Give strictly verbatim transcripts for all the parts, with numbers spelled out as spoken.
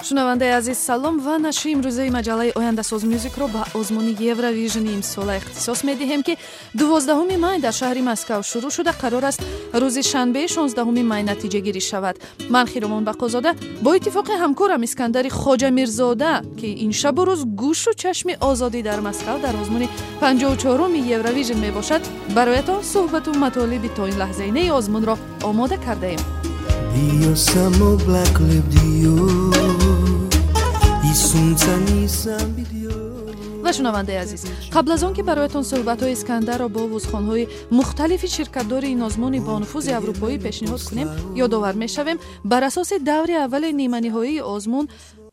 Шунавандаи азиз, салом ва нашри имрӯзаи маҷаллаи Ояндасоз Мюзикро ба озмуни Евровижни имсола ихтисос медиҳем, ки дувоздаҳуми май дар шаҳри Москав шурӯъ шуда, қарор аст рӯзи шанбеи шонздаҳуми май натиҷагирӣ шавад. Ман, Хиромон Бақозода, бо иттифоқи ҳамкорам Искандари Хоҷамирзода, ки ин шабу рӯз гӯшу чашми озодӣ дар Москав дар озмуни панҷоҳу чоруми Евровижн мебошад, бароятон суҳбату матолиби то ин лаҳзаи неи озмунро омода кардаем. Dio samo black lip dio Ва, шунавандаи азиз, қабл аз он ки бароятон суҳбатҳои Искандарро бо овозхонҳои мухталифи ширкатдори ин озмуни бонуфузи аврупоӣ пешниҳод кунем, ёдовар мешавем: бар асоси даври аввали ниманиҳоии озмун,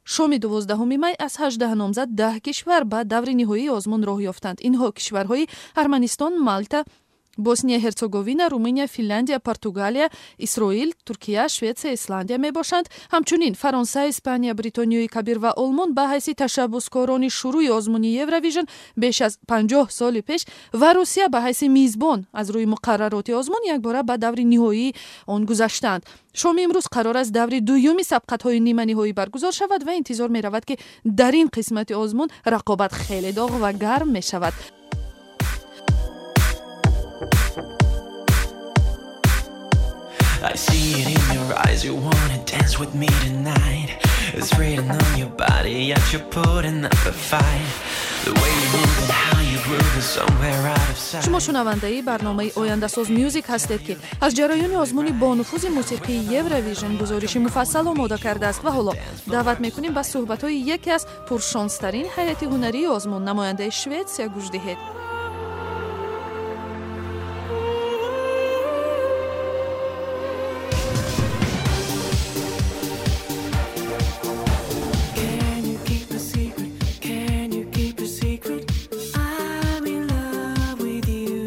шоми дувоздаҳуми май аз ҳаждаҳ номзад даҳ кишвар ба даври ниҳоии озмун роҳ ёфтанд. Инҳо кишварҳои Арманистон, Малта, Босния Герцеговина, Румыния, Финляндия, Португалия, Исроил, Туркия, Шветсия, Исландия мебошанд. Ҳамчунин Фаронса, Испания, Бритониёи Кабир ва Олмон ба ҳайси ташаббускорони шурӯи озмуни Евровижн беш аз панҷоҳ соли пеш ва Русия ба ҳайси мизбон аз рӯи муқаррароти озмун якбора ба даври ниҳоии он гузаштаанд. Шоми имрӯз қарор аст даври дуюми сабқатҳои ниманиҳоӣ баргузор шавад ва интизор меравад, ки дар ин қисмати озмун рақобат хеле доғ ва гарм мешавад. I see it in your eyes, you wanna dance with me tonight. It's written on your body, yet you're putting up a fight. The way you move and how you groove is somewhere out of sight. Шумо шунавандаи барномаи Ояндасоз Мюзик ҳастед, ки аз ҷараёни озмуни бонуфузи мусиқии Евровижн гузориши муфассал омода кардааст. Ва ҳоло даъват мекунем ба суҳбатҳои яке аз пуршонстарин ҳайати ҳунарии озмун, намояндаи Шветсия, гӯш диҳед. Can you keep a secret? Can you keep a secret? I'm in love with you.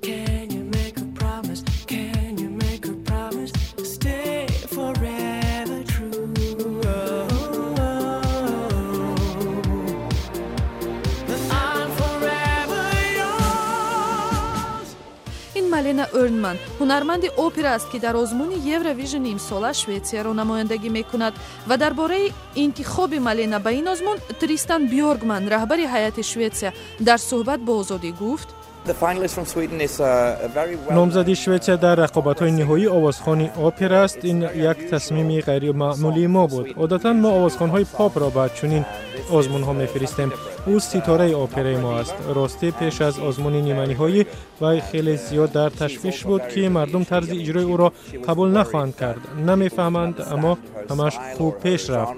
Can you make a promise? Can you make a promise? Stay forever true. That I'm forever yours. Ин Малена Эрнман, ҳунарманди опера аст, ки дар озмуни Евровижни имсола Шветсияро намояндагӣ мекунад. Ва дар бораи интихоби Малена ба ин озмун Тристан Бёргман, раҳбари ҳайати Шветсия, дар суҳбат бо Озодӣ гуфт: Номзади Шветсия дар рақобатҳои ниҳоӣ овозхони опера аст. Ин як тасмими ғайримаъмулии мо буд. Одатан мо овозхонҳои попро ба чунин озмунҳо мефиристем. Ӯ ситораи операи мо аст. Ростӣ, пеш аз озмуни ниманиҳоӣ вай хеле зиёд дар ташвиш буд, ки мардум тарзи иҷрои ӯро қабул нахоҳанд кард, намефаҳманд, аммо ҳамаш хуб пеш рафт.